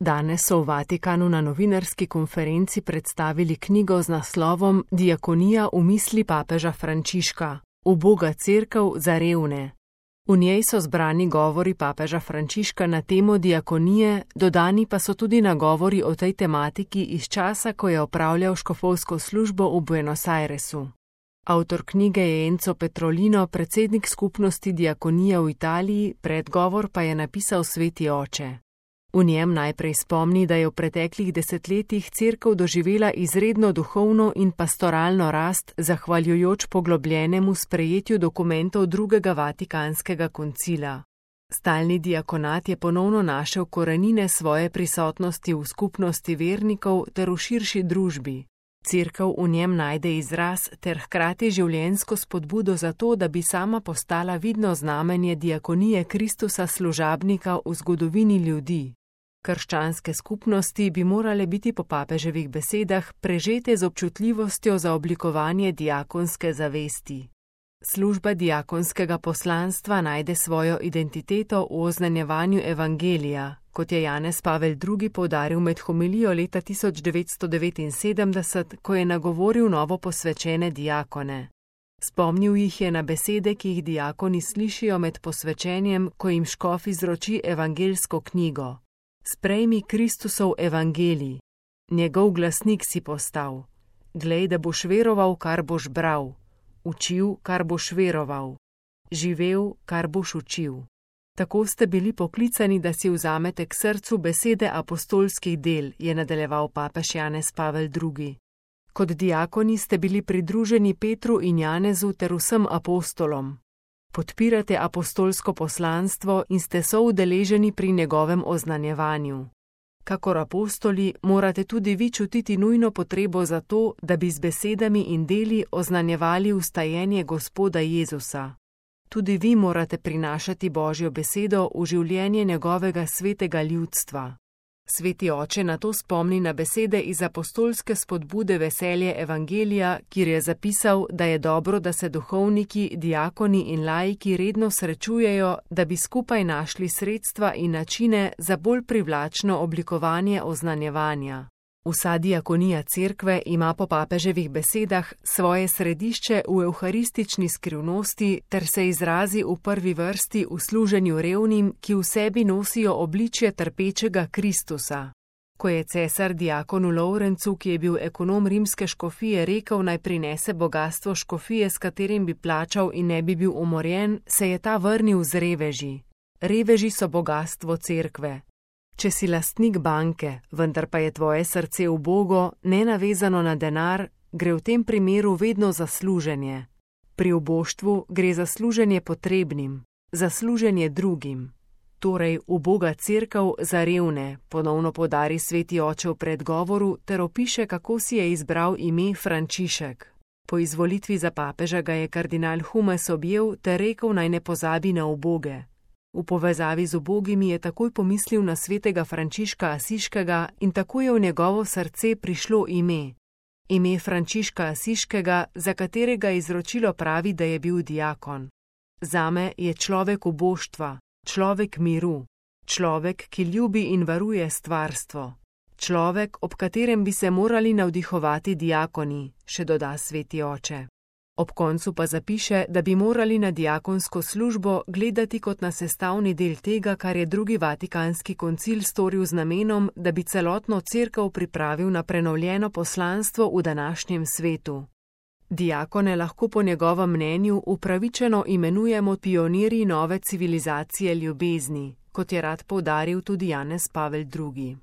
Danes so v Vatikanu na novinarski konferenci predstavili knjigo z naslovom Diakonija v misli papeža Frančiška, uboga cerkev za revne. V njej so zbrani govori papeža Frančiška na temo diakonije, dodani pa so tudi nagovori o tej tematiki iz časa, ko je opravljal škofovsko službo v Buenos Airesu. Avtor knjige je Enzo Petrolino, predsednik skupnosti diakonije v Italiji, predgovor pa je napisal sveti oče. V njem najprej spomni, da je v preteklih desetletjih cerkev doživela izredno duhovno in pastoralno rast, zahvaljujoč poglobljenemu sprejetju dokumentov drugega Vatikanskega koncila. Stalni diakonat je ponovno našel korenine svoje prisotnosti v skupnosti vernikov ter v širši družbi. Cerkev v njem najde izraz ter hkrati življenjsko spodbudo za to, da bi sama postala vidno znamenje diakonije Kristusa služabnika v zgodovini ljudi. Krščanske skupnosti bi morale biti po papeževih besedah prežete z občutljivostjo za oblikovanje diakonske zavesti. Služba diakonskega poslanstva najde svojo identiteto v oznanjevanju evangelija, kot je Janez Pavel II. Poudaril med homilijo leta 1979, ko je nagovoril novo posvečene diakone. Spomnil jih je na besede, ki jih diakoni slišijo med posvečenjem, ko jim škof izroči evangeljsko knjigo. Sprejmi Kristusov evangelij, njegov glasnik si postal. Glej, da boš veroval, kar boš bral, učil, kar boš veroval, živel, kar boš učil. Tako ste bili poklicani, da si vzamete k srcu besede apostolskih del, je nadaljeval papež Janez Pavel II. Kot diakoni ste bili pridruženi Petru in Janezu ter vsem apostolom. Podpirate apostolsko poslanstvo in ste soudeleženi pri njegovem oznanjevanju. Kakor apostoli morate tudi vi čutiti nujno potrebo za to, da bi z besedami in deli oznanjevali vstajenje Gospoda Jezusa. Tudi vi morate prinašati Božjo besedo v življenje njegovega svetega ljudstva. Sveti oče na to spomni na besede iz apostolske spodbude Veselje evangelija, kjer je zapisal, da je dobro, da se duhovniki, diakoni in laiki redno srečujejo, da bi skupaj našli sredstva in načine za bolj privlačno oblikovanje oznanjevanja. Vsa diakonija cerkve ima po papeževih besedah svoje središče v evharistični skrivnosti ter se izrazi v prvi vrsti v služenju revnim, ki v sebi nosijo obličje trpečega Kristusa. Ko je cesar diakonu Lovrencu, ki je bil ekonom rimske škofije, rekel, naj prinese bogastvo škofije, s katerim bi plačal in ne bi bil umorjen, se je ta vrnil z reveži. Reveži so bogastvo cerkve. Če si lastnik banke, vendar pa je tvoje srce ubogo, nenavezano na denar, gre v tem primeru vedno za služenje. Pri oboštvu gre za služenje potrebnim, za služenje drugim. Torej, uboga cerkev za revne, ponovno podari sveti oče v predgovoru ter opiše, kako si je izbral ime Frančišek. Po izvolitvi za papeža ga je kardinal Humes objel ter rekel, naj ne pozabi na uboge. V povezavi z ubogimi je takoj pomislil na svetega Frančiška Asiškega in tako je v njegovo srce prišlo ime. Ime Frančiška Asiškega, za katerega izročilo pravi, da je bil diakon. Zame je človek uboštva, človek miru, človek, ki ljubi in varuje stvarstvo. Človek, ob katerem bi se morali navdihovati diakoni, še doda sveti oče. Ob koncu pa zapiše, da bi morali na diakonsko službo gledati kot na sestavni del tega, kar je drugi Vatikanski koncil storil z namenom, da bi celotno cerkev pripravil na prenovljeno poslanstvo v današnjem svetu. Diakone lahko po njegovem mnenju upravičeno imenujemo pionirji nove civilizacije ljubezni, kot je rad poudaril tudi Janez Pavel II.